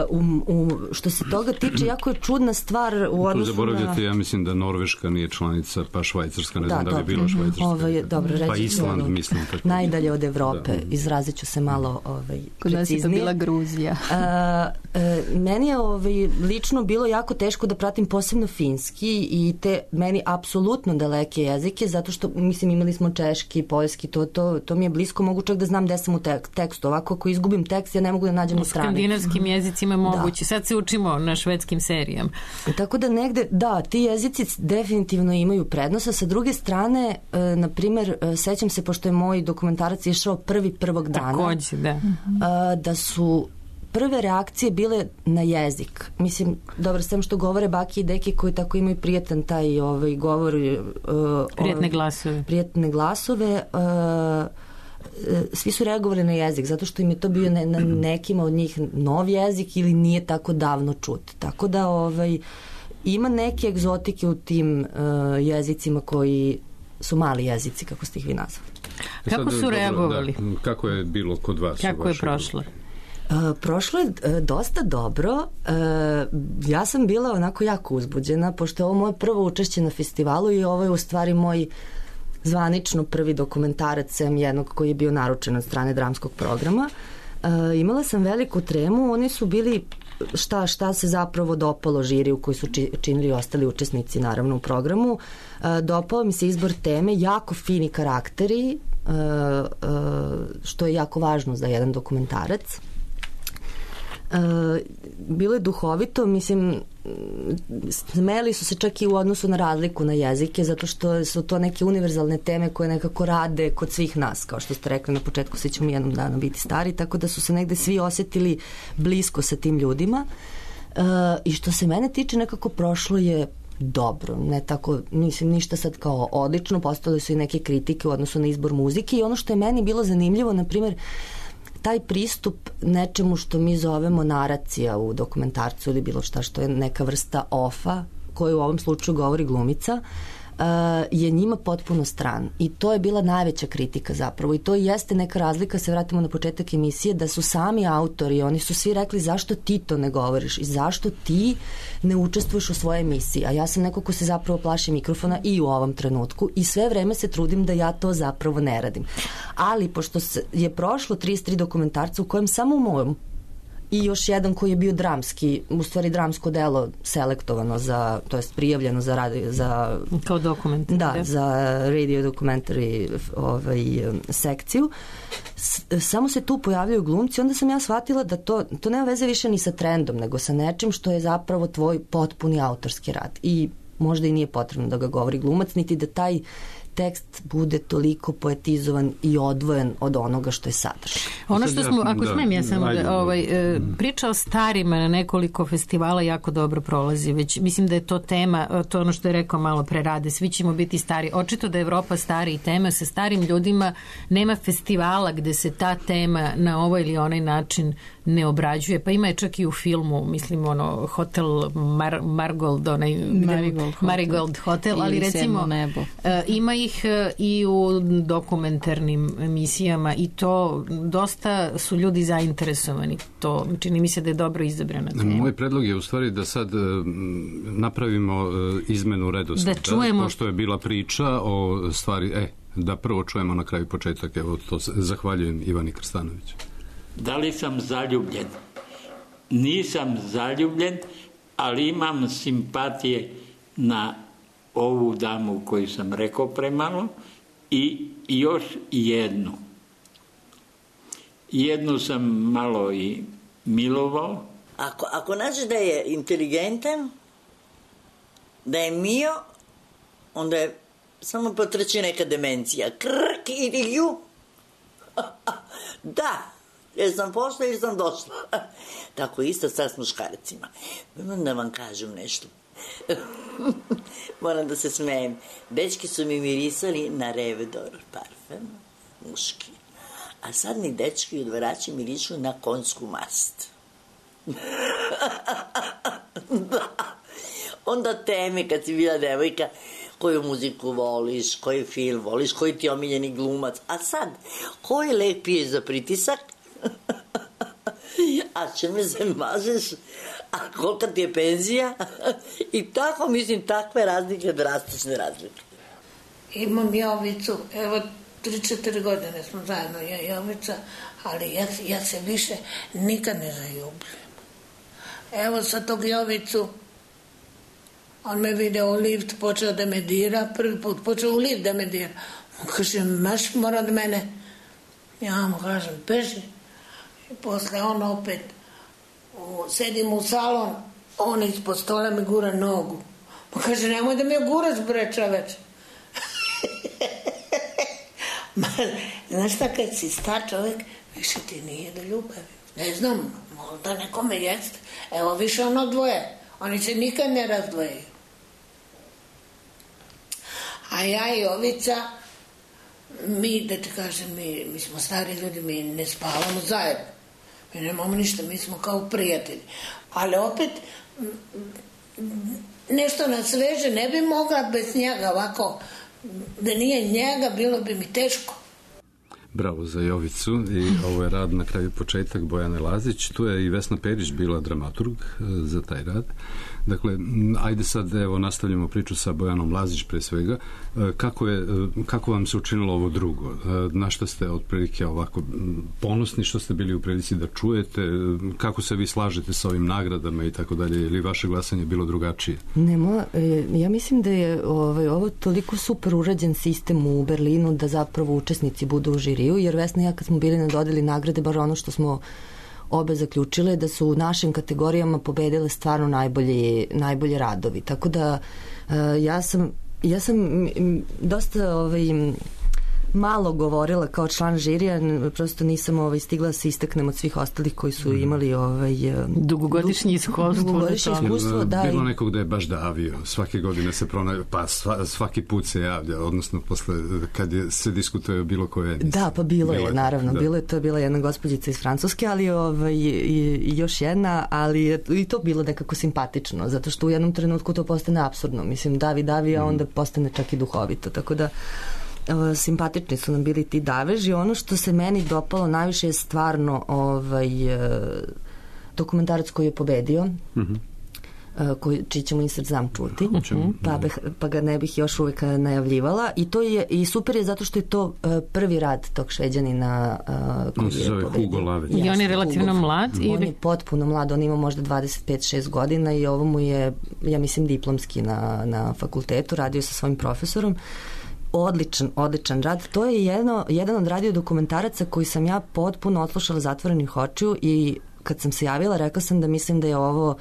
um, um, što se toga tiče, jako je čudna stvar u odnosu na... Tu zaboravljate, ja mislim da Norveška nije članica, pa Švajcarska, ne da, znam da, da bi bila Švajcarska. Ovaj, dobro, reći, pa Island, ono, mislim. Tako. Najdalje od Evrope, da. Izrazit ću se malo ovaj, kod nas je to bila Gruzija. uh, uh, meni je ovaj, lično bilo jako teško da pratim posebno finski i te meni apsolutno daleke jezike, zato što, mislim, imali smo češki, poljski, to, to, to mi je blisko, mogu čak da znam gde sam u tek, tekstu. Ovako, ako izgubim tekst, ja ne mogu da nađem na stranicu. U skandinavskim jezicima je moguće. Da. Sad se učimo na švedskim serijama. Tako da negde, da, ti jezici definitivno imaju prednost, a sa druge strane, e, na primer, e, sećam se, pošto je moj dokumentarac išao prvi prvog dana, takođe, da. E, da su prve reakcije bile na jezik. Mislim, dobro, sem što govore baki i deki koji tako imaju prijatan taj ovaj, govor. Uh, Prijetne glasove. Prijetne glasove. Uh, svi su reagovali na jezik, zato što im je to bio ne, na nekima od njih nov jezik ili nije tako davno čut. Tako da ovaj, ima neke egzotike u tim uh, jezicima koji su mali jezici, kako ste ih vi nazvali. Kako su reagovali? Da, kako je bilo kod vas? Kako je prošlo? Uh, prošlo je uh, dosta dobro. Uh, ja sam bila onako jako uzbuđena, pošto je ovo moje prvo učešće na festivalu i ovo je u stvari moj zvanično prvi dokumentarac, sem jednog koji je bio naručen od strane dramskog programa. Uh, imala sam veliku tremu, oni su bili šta, šta se zapravo dopalo žiriju koji su či, činili ostali učesnici naravno u programu. Uh, dopao mi se izbor teme, jako fini karakteri, uh, uh, što je jako važno za jedan dokumentarac. Uh, bilo je duhovito, mislim, smeli su se čak i u odnosu na razliku na jezike, zato što su to neke univerzalne teme koje nekako rade kod svih nas, kao što ste rekli na početku, svi ćemo jednom dana biti stari, tako da su se negde svi osjetili blisko sa tim ljudima. Uh, i što se mene tiče, nekako prošlo je dobro, ne tako, mislim, ništa sad kao odlično, postale su i neke kritike u odnosu na izbor muzike i ono što je meni bilo zanimljivo, na primjer, taj pristup nečemu što mi zovemo naracija u dokumentarcu ili bilo šta što je neka vrsta ofa, koju u ovom slučaju govori glumica, je njima potpuno stran. I to je bila najveća kritika zapravo. I to jeste neka razlika, se vratimo na početak emisije, da su sami autori, oni su svi rekli zašto ti to ne govoriš i zašto ti ne učestvuješ u svojoj emisiji. A ja sam neko ko se zapravo plaši mikrofona i u ovom trenutku i sve vreme se trudim da ja to zapravo ne radim. Ali pošto je prošlo trideset tri dokumentarca u kojem samo u mojom i još jedan koji je bio dramski, u stvari dramsko delo selektovano za, to jest prijavljeno za radio, za kao dokument. Da, da, za radio documentary ovaj, sekciju. S, samo se tu pojavljaju glumci, onda sam ja shvatila da to, to nema veze više ni sa trendom, nego sa nečim što je zapravo tvoj potpuni autorski rad. I možda i nije potrebno da ga govori glumac, niti da taj tekst bude toliko poetizovan i odvojen od onoga što je sadržaj. Ono što smo, ako smem ja samo da, ovaj, priča o starima na nekoliko festivala jako dobro prolazi, već mislim da je to tema, to ono što je rekao malo pre Rade, svi ćemo biti stari. Očito da je Evropa stari i tema, sa starim ljudima nema festivala gde se ta tema na ovaj ili onaj način ne obrađuje, pa ima je čak i u filmu, mislim ono Hotel Mar, Margold, onaj Marigold, Marigold Hotel, Hotel ali recimo nebo. Ima ih i u dokumentarnim emisijama i to dosta su ljudi zainteresovani. To čini mi se da je dobro izabrana tema. Moj predlog je u stvari da sad napravimo izmenu redoslijeda, da čujemo, pošto je bila priča o stvari, e, da prvo čujemo na kraju početak, evo to zahvaljujem Ivani Krstanović. Da li sam zaljubljen? Nisam zaljubljen, ali imam simpatije na ovu damu koju sam rekao premalo i još jednu. Jednu sam malo i milovao. Ako, ako nađeš da je inteligentan, da je mio, onda je samo potrči neka demencija. Krk ili ju. Da. Jer sam pošla ili sam došla. Tako isto sad s muškarcima. Moram da vam kažem nešto. Moram da se smejem. Dečki su mi mirisali na Revedor parfem, muški. A sad mi dečki odvarači mirišu na konjsku mast. Da. Onda teme kad si bila devojka, koju muziku voliš, koji film voliš, koji ti je omiljeni glumac. A sad, koji lek piješ za pritisak? A čime se mažeš? A kolika ti je penzija? I tako, mislim, takve razlike, drastične razlike. Imam Jovicu, evo, tri četiri godine smo zajedno, ja i Jovica, ali ja, ja se više nikad ne zaljubim. Evo sa tog Jovicu, on me video u lift, počeo da me dira, prvi put počeo u lift da me dira. On kaže, maš mora od mene. Ja mu kažem, beži. I posle on opet, u, sedim u salon, on ispod stola mi gura nogu. Pa kaže, nemoj da mi je guraš, bre, čoveč. Znaš šta, kad si star čovjek, više ti nije do ljubavi. Ne znam, možda nekome jeste. Evo, više ono dvoje. Oni se nikad ne razdvojeju. A ja i Jovica, mi, da ti kažem, mi, mi smo stari ljudi, mi ne spavamo zajedno. Mi nemamo ništa, mi smo kao prijatelji. Ali opet, nešto na sveže ne bi mogla bez njega ovako, da nije njega, bilo bi mi teško. Bravo za Jovicu i ovo je rad na kraju početak Bojane Lazić. Tu je i Vesna Perić bila dramaturg za taj rad. Dakle, ajde sad evo nastavljamo priču sa Bojanom Lazić pre svega. Kako, je, kako vam se učinilo ovo drugo? Na što ste otprilike ovako ponosni što ste bili u prilici da čujete? Kako se vi slažete sa ovim nagradama i tako dalje? Ili vaše glasanje bilo drugačije? Nemo, ja mislim da je ovaj, ovo toliko super urađen sistem u Berlinu da zapravo učesnici budu u žiriju, jer Vesna i ja kad smo bili na dodeli nagrade, bar ono što smo obe zaključile, da su u našim kategorijama pobedile stvarno najbolji, najbolji radovi. Tako da ja sam, ja sam dosta ovaj, malo govorila kao član žirija, prosto nisam ovaj, stigla da se istaknem od svih ostalih koji su imali ovaj, dugogodišnje iskustvo. Dugogodišnje iskustvo, da. Bilo nekog da je baš davio. Svake godine se pronaje, pa svaki put se javlja, odnosno posle, kad je, se diskutuje o bilo koje emisije. Da, pa bilo, bilo je, naravno. Da. Bilo je, to je bila jedna gospođica iz Francuske, ali ovaj, i, i još jedna, ali je i to bilo nekako simpatično, zato što u jednom trenutku to postane apsurdno. Mislim, davi, davi, a onda postane čak i duhovito. Tako da simpatični su nam bili ti daveži. Ono što se meni dopalo najviše je stvarno ovaj, dokumentarac koji je pobedio, mm-hmm. koji, čiji ćemo insert znam čuti, mm-hmm. pa, bih, pa ga ne bih još uvijek najavljivala i to je i super je zato što je to prvi rad tog Šveđanina koji on se zove Hugo Lavec. I on je relativno Hugo. mlad? On ili? je potpuno mlad, on ima možda dvadeset pet šest godina i ovo mu je, ja mislim, diplomski na, na fakultetu, radio sa svojim profesorom. Odličan, odličan rad. To je jedno, jedan od radio dokumentaraca koji sam ja potpuno odslušala zatvorenih očiju i kad sam se javila rekla sam da mislim da je ovo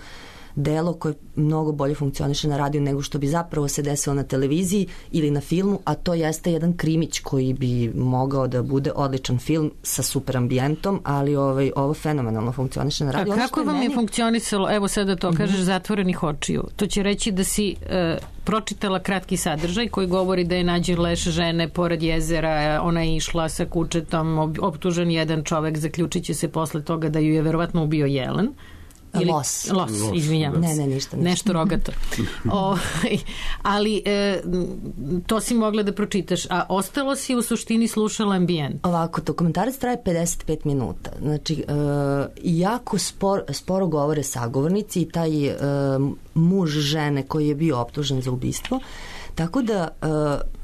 delo koje mnogo bolje funkcioniše na radiju nego što bi zapravo se desilo na televiziji ili na filmu, a to jeste jedan krimić koji bi mogao da bude odličan film sa super ambijentom, ali ovaj, ovo fenomenalno funkcioniše na radiju. A kako vam je funkcionisalo, evo sada to kažeš, mm-hmm. zatvorenih očiju? To će reći da si e, pročitala kratki sadržaj koji govori da je nađen leš žene pored jezera, ona je išla sa kučetom, optužen jedan čovek, zaključit će se posle toga da ju je verovatno ubio jelen. Ili, los. Los, izvinjavam ne, ne, ništa, ništa. Nešto rogato. o, ali e, to si mogla da pročitaš, a ostalo si u suštini slušala ambijent. Ovako, dokumentarac traje pedeset pet minuta. Znači, e, jako spor, sporo govore sagovornici i taj e, muž žene koji je bio optužen za ubistvo. Tako da uh,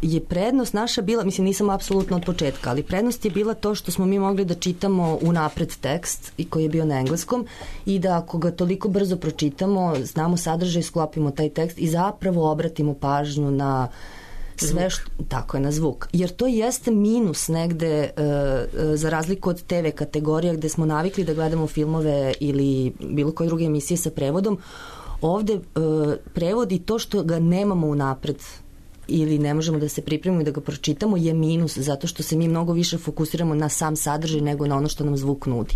je prednost naša bila, mislim nisam apsolutno od početka, ali prednost je bila to što smo mi mogli da čitamo unapred tekst i koji je bio na engleskom i da ako ga toliko brzo pročitamo, znamo sadržaj, sklopimo taj tekst i zapravo obratimo pažnju na sve što, tako je, na zvuk. Jer to jeste minus negde uh, za razliku od te ve kategorija gde smo navikli da gledamo filmove ili bilo koje druge emisije sa prevodom. Ovde uh, prevodi to što ga nemamo unapred ili ne možemo da se pripremimo i da ga pročitamo je minus, zato što se mi mnogo više fokusiramo na sam sadržaj nego na ono što nam zvuk nudi.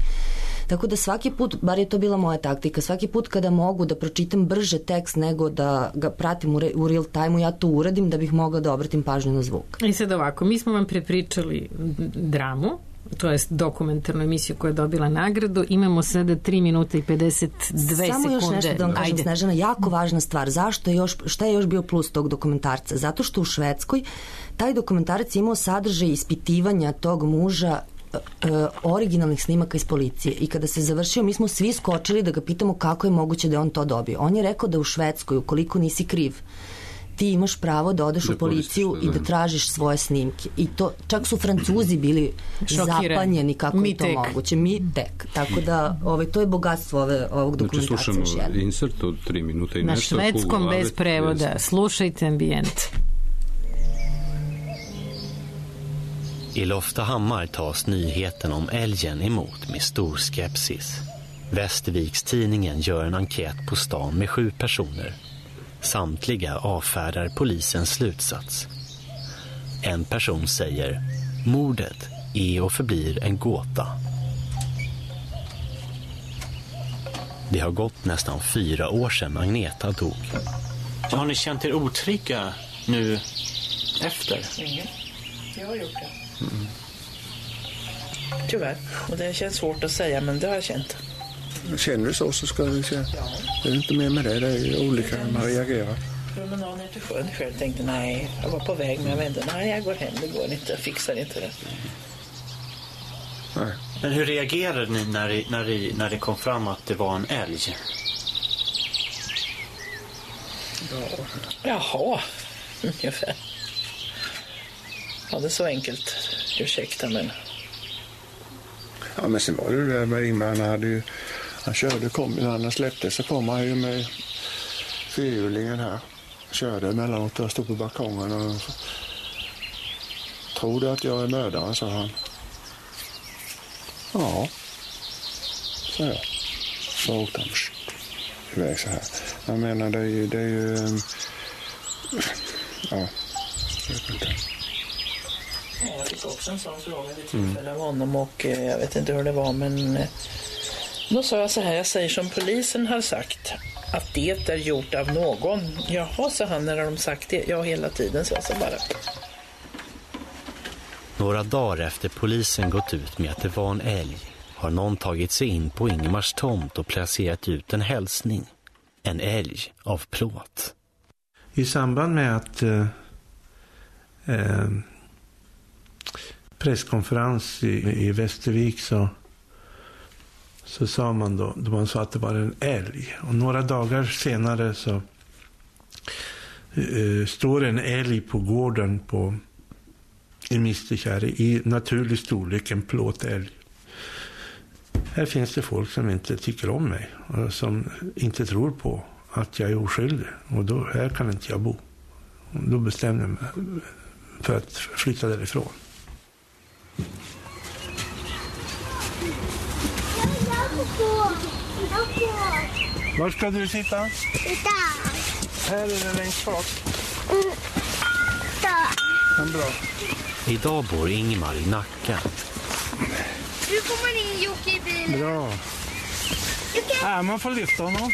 Tako da svaki put, bar je to bila moja taktika, svaki put kada mogu da pročitam brže tekst nego da ga pratim u, re, u real time-u, ja to uradim da bih mogla da obratim pažnju na zvuk. I sad ovako, mi smo vam prepričali dramu, to jest dokumentarnu emisiju koja je dobila nagradu. Imamo sada tri minuta i pedeset dve Samo sekunde. Samo još nešto da vam kažem, Snežana, jako važna stvar. Zašto je još, šta je još bio plus tog dokumentarca? Zato što u Švedskoj taj dokumentarac je imao sadržaj ispitivanja tog muža e, originalnih snimaka iz policije i kada se završio mi smo svi skočili da ga pitamo kako je moguće da je on to dobio. On je rekao da u Švedskoj ukoliko nisi kriv ti imaš pravo da odeš da u policiju i da tražiš svoje snimke. I to, čak su Francuzi bili Šokirani. Zapanjeni kako mi je to tek. Moguće. Mi tek. Tako da ovaj, to je bogatstvo ove, ovog dokumentarca. Znači slušamo insert od tri minuta i na nešto. Na švedskom bez prevoda. Bez... Slušajte ambijent. I Loftahammar tas nyheten om älgen emot med stor skepsis. Västerviks-tidningen gör en enkät på stan med sju personer. Samtliga avfärdar polisens slutsats. En person säger: mordet är och förblir en gåta. Det har gått nästan fyra år sedan Agneta dog. Har ni känt er otrygga nu efter? Mm. Jag har gjort det. Mm. Tyvärr. Och det känns svårt att säga, men det har jag känt. Känner du så så ska du säga. Ja. Det är inte mer med det, det är olika hur man reagerar. Promenaden ner till sjön själv tänkte nej, jag var på väg men jag vände, nej jag går hem, det går inte, jag fixar inte det. Nej. Men hur reagerade ni när det, när, det, när det kom fram att det var en älg? Ja. Jaha, ungefär. Ja, det är så enkelt. Ursäkta, men... Ja, men sen var det där med Ingmar, han hade ju... Han körde, kom, när han släppte så kom han ju med fyrhjulingen här. Körde emellanåt och stod på balkongen och... Tror du att jag är mördaren, sa han. Ja, så jag. Så åkte han iväg så här. Jag menar, det är ju... Det är ju ja, jag vet inte. Jag fick också en sån fråga vid tillfälle av honom och eh, jag vet inte hur det var, men eh, då sa jag så här, jag säger som polisen har sagt att det är gjort av någon. Jaha, sa han när de sagt det. Ja, hela tiden, så jag så bara. Några dagar efter polisen gått ut med att det var en älg har någon tagit sig in på Ingemars tomt och placerat ut en hälsning. En älg av plåt. I samband med att eh, eh, presskonferens i, i Västervik så, så sa man då, då man sa att det var en älg. Och några dagar senare så eh, står en älg på gården på i Misterkärre i naturlig storlek, en plåtälg. Här finns det folk som inte tycker om mig och som inte tror på att jag är oskyldig. Och då, här kan inte jag bo. Och då bestämde jag mig för att flytta därifrån. Var ska du sitta? Där. Här är det längst bak. Mm. Där. Ja, bra. Idag bor Ingmar i Nacka. Nu kommer in Jocke i bilen. Bra. Ja, man får lyfta honom.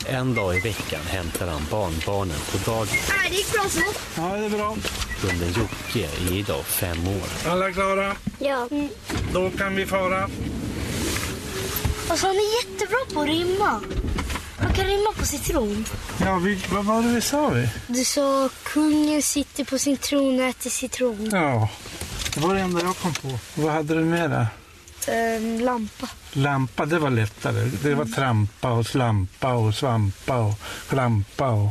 En dag i veckan hämtar han barnbarnen på dagis. Ja, det gick bra så. Ja, det är bra. Hunden Jocke är idag fem år. Alla klara? Ja. Mm. Då kan vi fara. Alltså, han är jättebra på att rimma. Man kan rimma på citron. Ja, vi, vad var det vi sa vi? Du sa kungen sitter på sin tron och äter citron. Ja, det var det enda jag kom på. Vad hade du med där? En lampa. Lampa, det var lättare. Det var trampa och slampa och svampa och klampa och...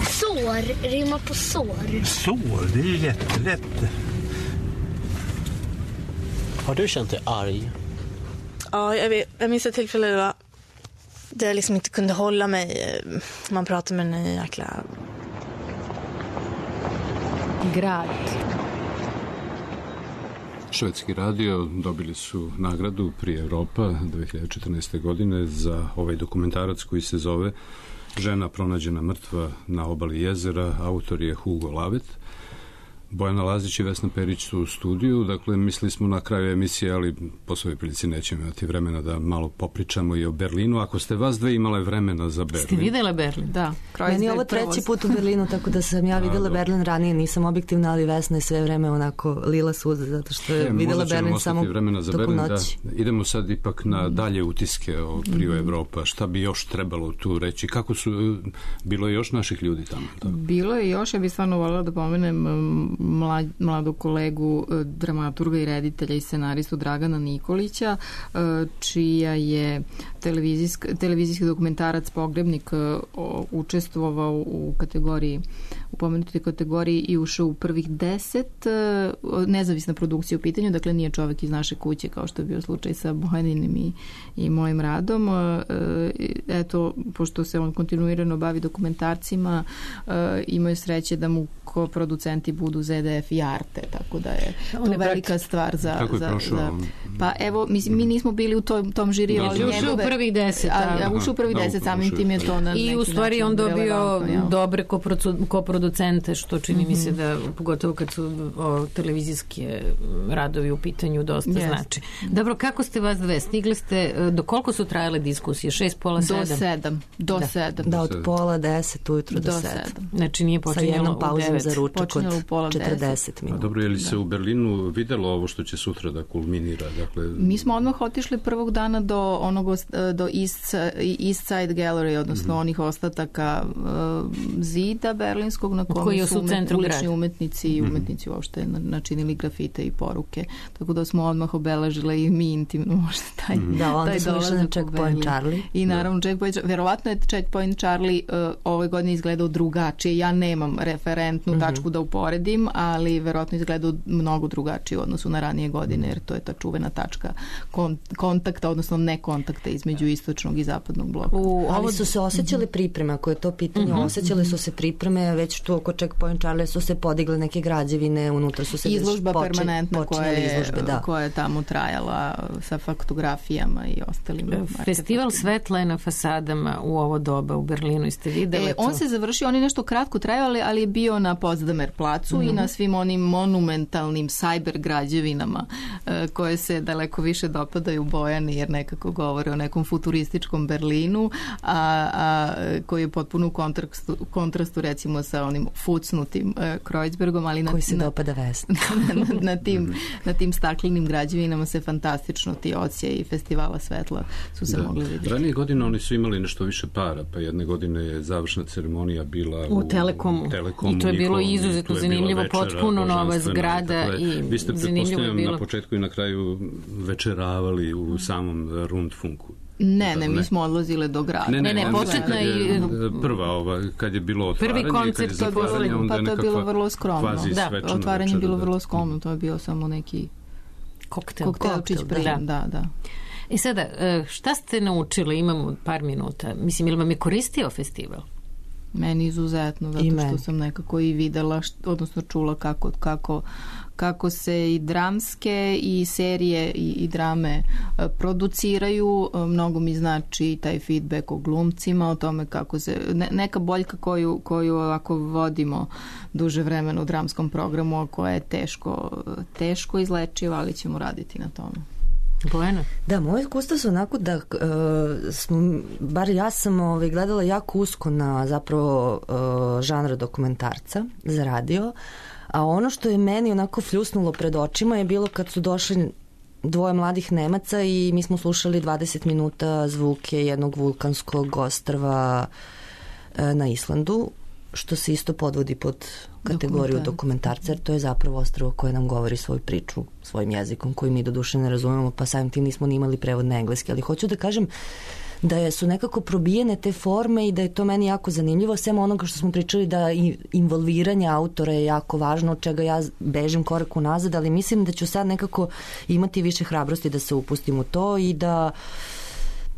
Sår, rimma på sår. Sår, det är ju jättelätt. Har du känt dig arg? Ja, jag, vet, jag minns ett tillfälle då där jag liksom inte kunde hålla mig. Man pratade med en jäkla... Grad. Švedski radio dobili su nagradu pri Evropa dve hiljade četrnaeste. godine za ovaj dokumentarac koji se zove Žena pronađena mrtva na obali jezera. Autor je Hugo Lavet. Bojana Lazić i Vesna Perić su u studiju, dakle mislili smo na kraju emisije, ali po svojoj prilici nećemo imati vremena da malo popričamo i o Berlinu. Ako ste vas dve imale vremena za Berlin. Ste vidjela Berlin? Da. Meni je ovo treći put u Berlinu, tako da sam ja vidjela Berlin ranije, nisam objektivna, ali Vesna je sve vreme onako lila suze, zato što je e, vidjela Berlin samo toku noći. Da, idemo sad ipak na dalje utiske o Prio mm-hmm. Evropa. Šta bi još trebalo tu reći? Kako su, bilo je još naših ljudi tamo? Da? Bilo je još, ja bih stvarno voljela da pomenem mlad, mladog kolegu, dramaturga i reditelja i scenaristu Dragana Nikolića, čija je televizijski dokumentarac Pogrebnik učestvovao u kategoriji, u pomenutoj kategoriji i ušao u prvih deset, nezavisna produkcija u pitanju, dakle nije čovjek iz naše kuće kao što je bio slučaj sa Bojaninim i, i mojim radom. Eto, pošto se on kontinuirano bavi dokumentarcima, imaju sreće da mu ko producenti budu Z D F i Arte, tako da je to je velika stvar za... Kako je za, prošao? Za, pa evo, mi, mi nismo bili u tom, tom žiri, ali njegove... Ušao u prvih deset. A, a ušao u prvih deset, samim tim je to na I u stvari on dobio dobre koproducente, što čini mm-hmm. mi se da, pogotovo kad su o, televizijske radovi u pitanju, dosta yes. znači. Dobro, kako ste vas dve? Stigli ste, do koliko su trajale diskusije? Šest, pola, sedam? Do sedam. Do da. sedam. Da, od pola deset ujutro do, do sedam. Znači nije počinjalo u devet. Za ručak od četrdeset minuta. Dobro, je li se u Berlinu videlo ovo što će sutra da kulminira? Dakle... Mi smo odmah otišli prvog dana do onog do East, East Side Gallery, odnosno mm-hmm. onih ostataka uh, zida berlinskog na kome su umet, ulični umetnici i umetnici mm-hmm. uopšte načinili grafite i poruke. Tako da smo odmah obeležile i mi intimno možda taj, mm-hmm. da, onda smo išli na Checkpoint Charlie. I naravno da. Checkpoint, verovatno je Checkpoint Charlie uh, ove godine izgledao drugačije. Ja nemam referentnu mm-hmm. tačku da uporedim, ali verovatno izgledao mnogo drugačije u odnosu na ranije godine, jer to je ta čuvena tačka kon, kontakta, odnosno ne kontakta između istočnog i zapadnog bloka. U, ali su se osjećale pripreme, ako je to pitanje, mm-hmm. osjećale su se pripreme, već tu oko Checkpoint Charlie su se podigle neke građevine, unutra su se izložba poče, permanentna koja je, izložbe, da. koja je tamo trajala sa faktografijama i ostalim. Festival svetla je na fasadama u ovo doba u Berlinu, ste videli e, on se završio, on je nešto kratko trajao, ali je bio na Potsdamer placu mm-hmm. i na svim onim monumentalnim cyber građevinama e, koje se daleko više dopadaju Bojani, jer nekako govore o nekom futurističkom Berlinu, a, a koji je potpuno u kontrastu, kontrastu recimo sa onim fucnutim e, Kreuzbergom, ali na, koji se dopada Vesni. na, na, na, tim, na tim staklenim građevinama se fantastično ti odsjeji festivala svetla su se da. mogli vidjeti. Ranije godine oni su imali nešto više para, pa jedne godine je završna ceremonija bila u, u Telekomu. Telekomu I to je bilo njihovom, izuzetno zanimljivo, večera, potpuno nova zgrada i, i vi ste zanimljivo bilo. Na početku i na kraju večeravali u samom Rundfunku. Ne, ne, mi smo odlazile do grada. Ne, ne, ne, ne početna i prva ova, kad je bilo otvaranje. Prvi koncert to je bilo, pa to je bilo vrlo skromno. Da, otvaranje je bilo da. vrlo skromno, to je bio samo neki koktel. koktelčić koktel, da. da, da. I sada, šta ste naučili? Imamo par minuta. Mislim, ili vam je koristio festival? Meni izuzetno, zato što sam nekako i videla, što, odnosno čula kako, kako, kako se i dramske i serije i, i drame produciraju. Mnogo mi znači taj feedback o glumcima, o tome kako se, ne, neka boljka koju, koju ovako vodimo duže vremena u dramskom programu, koja je teško, teško izlečiva, ali ćemo raditi na tome. Bojana? Da, moje iskustva su onako da uh, smo, bar ja sam ovaj, gledala jako usko na zapravo uh, žanra dokumentarca za radio, a ono što je meni onako fljusnulo pred očima je bilo kad su došli dvoje mladih Nemaca i mi smo slušali dvadeset minuta zvuke jednog vulkanskog ostrva uh, na Islandu, što se isto podvodi pod kategoriju dokumentarca, jer to je zapravo ostrvo koje nam govori svoju priču svojim jezikom koji mi do duše ne razumemo, pa samim tim nismo ni imali prevod na engleski, ali hoću da kažem da su nekako probijene te forme i da je to meni jako zanimljivo, sem onoga što smo pričali da involviranje autora je jako važno, od čega ja bežim korak unazad, ali mislim da ću sad nekako imati više hrabrosti da se upustim u to i da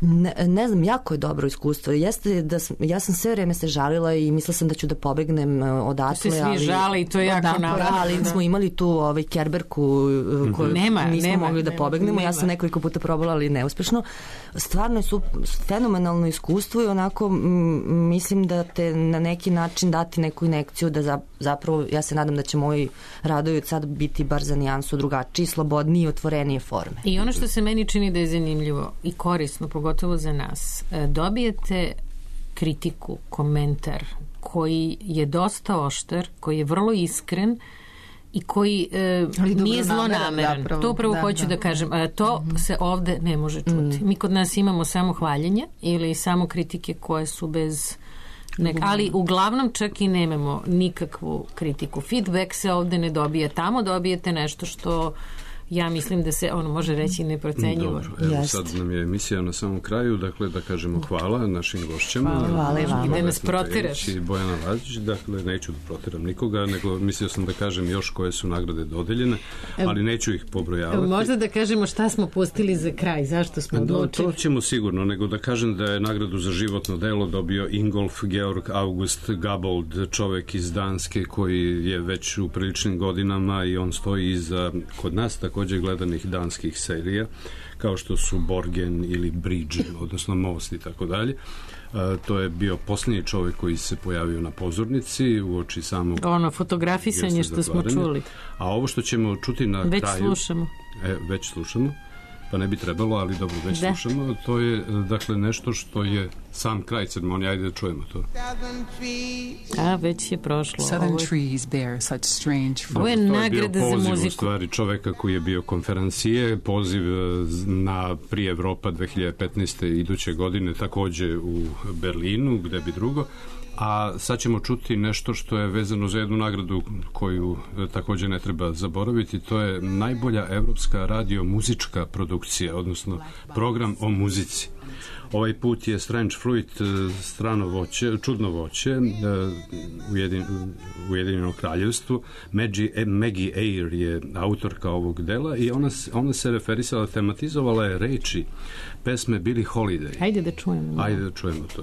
Ne, ne znam, jako je dobro iskustvo. Jeste da sam, ja sam sve vreme se žalila i mislila sam da ću da pobegnem odatle. To se svi žali i to je jako naravno. Ali smo imali tu ovaj Kerberku koju nema, nismo nema, mogli da nema, pobegnemo. nema. Ja sam nekoliko puta probala, ali neuspešno. Stvarno su fenomenalno iskustvo i onako m, mislim da te na neki način dati neku inekciju da za, zapravo, ja se nadam da će moji radovi od sad biti bar za nijansu drugačiji, slobodniji i otvorenije forme. I ono što se meni čini da je zanimljivo i korisno, pogotovo za nas, dobijete kritiku, komentar koji je dosta oštar, koji je vrlo iskren i koji e, nije zlonameran. Zapravo, to upravo da, hoću da, da kažem. A to mm-hmm. se ovde ne može čuti. Mm. Mi kod nas imamo samo hvaljenje ili samo kritike koje su bez nek, ali uglavnom čak i nemamo nikakvu kritiku. Feedback se ovde ne dobije. Tamo dobijete nešto što ja mislim da se ono može reći neprocenjivo. Dobro, evo sad nam je emisija na samom kraju, dakle da kažemo hvala našim gošćama. Hvala, hvala i vama. Da nas protiraš. I Bojana Lazić, dakle neću da protiram nikoga, nego mislio sam da kažem još koje su nagrade dodeljene, ali neću ih pobrojavati. Možda da kažemo šta smo pustili za kraj, zašto smo odlučili. To ćemo sigurno, nego da kažem da je nagradu za životno delo dobio Ingolf Georg August Gabold, čovek iz Danske koji je već u priličnim godinama i on stoji iza kod nas također gledanih danskih serija kao što su Borgen ili Bridge, odnosno Most i tako dalje. To je bio posljednji čovjek koji se pojavio na pozornici u oči samog ono fotografisanje što smo čuli. A ovo što ćemo čuti na već kraju slušamo. E, već slušamo pa ne bi trebalo, ali dobro, već da. slušamo. To je, dakle, nešto što je sam kraj ceremonije. Ajde da čujemo to. A, već je prošlo. Southern trees bear such strange fruit. Ovo je nagrada za muziku. To je bio poziv, u stvari, čoveka koji je bio konferencije, poziv na Prix Evropa dve hiljade petnaeste. iduće godine, takođe u Berlinu, gde bi drugo. A sad ćemo čuti nešto što je vezano za jednu nagradu koju također ne treba zaboraviti. To je najbolja evropska radio-muzička produkcija, odnosno program o muzici. Ovaj put je Strange Fruit, strano voće, čudno voće, ujedin, Ujedinjeno kraljevstvo. Maggie, Maggie Eyre je autorka ovog dela i ona, ona se referisala, tematizovala je reči pesme Billie Holiday. Ajde da čujemo. Ajde da čujemo to.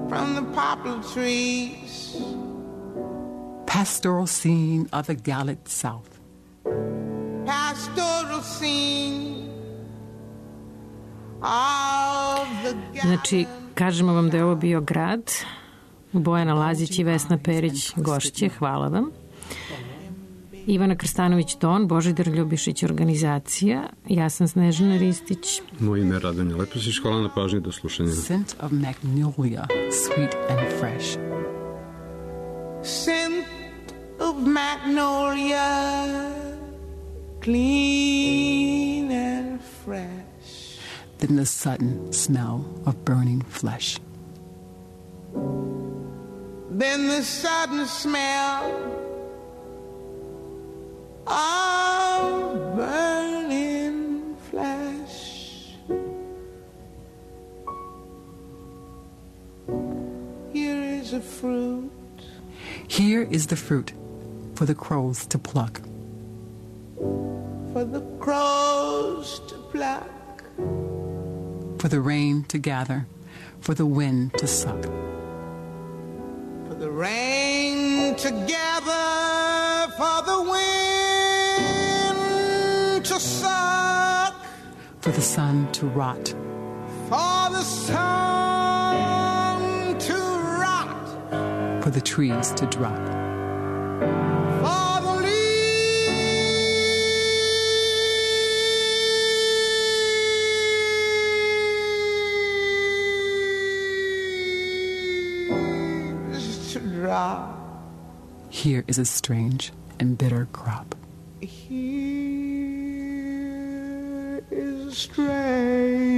From the poplar trees, pastoral scene of the Gallic South. Pastoral scene of the Gallic. Znači, kažemo vam da je ovo bio grad. Bojana Lazić i Vesna Perić gošće, hvala vam. Ivana Krstanović-Don, Božidar Ljubišić organizacija, ja sam Snežana Ristić. Moje ime je Radonja Leposić, hvala na pažnji, do slušanja. Scent of magnolia, sweet and fresh. Scent of magnolia, clean and fresh. Then the sudden smell of burning flesh. Then the sudden smell of burning flesh. Here is a fruit. Here is the fruit for the crows to pluck. For the crows to pluck. For the rain to gather for the wind to suck. For the rain to gather, for the wind to suck, for the sun to rot, for the sun to rot, for the trees to drop, for the leaves to drop. Here is a strange and bitter crop. Here is a strange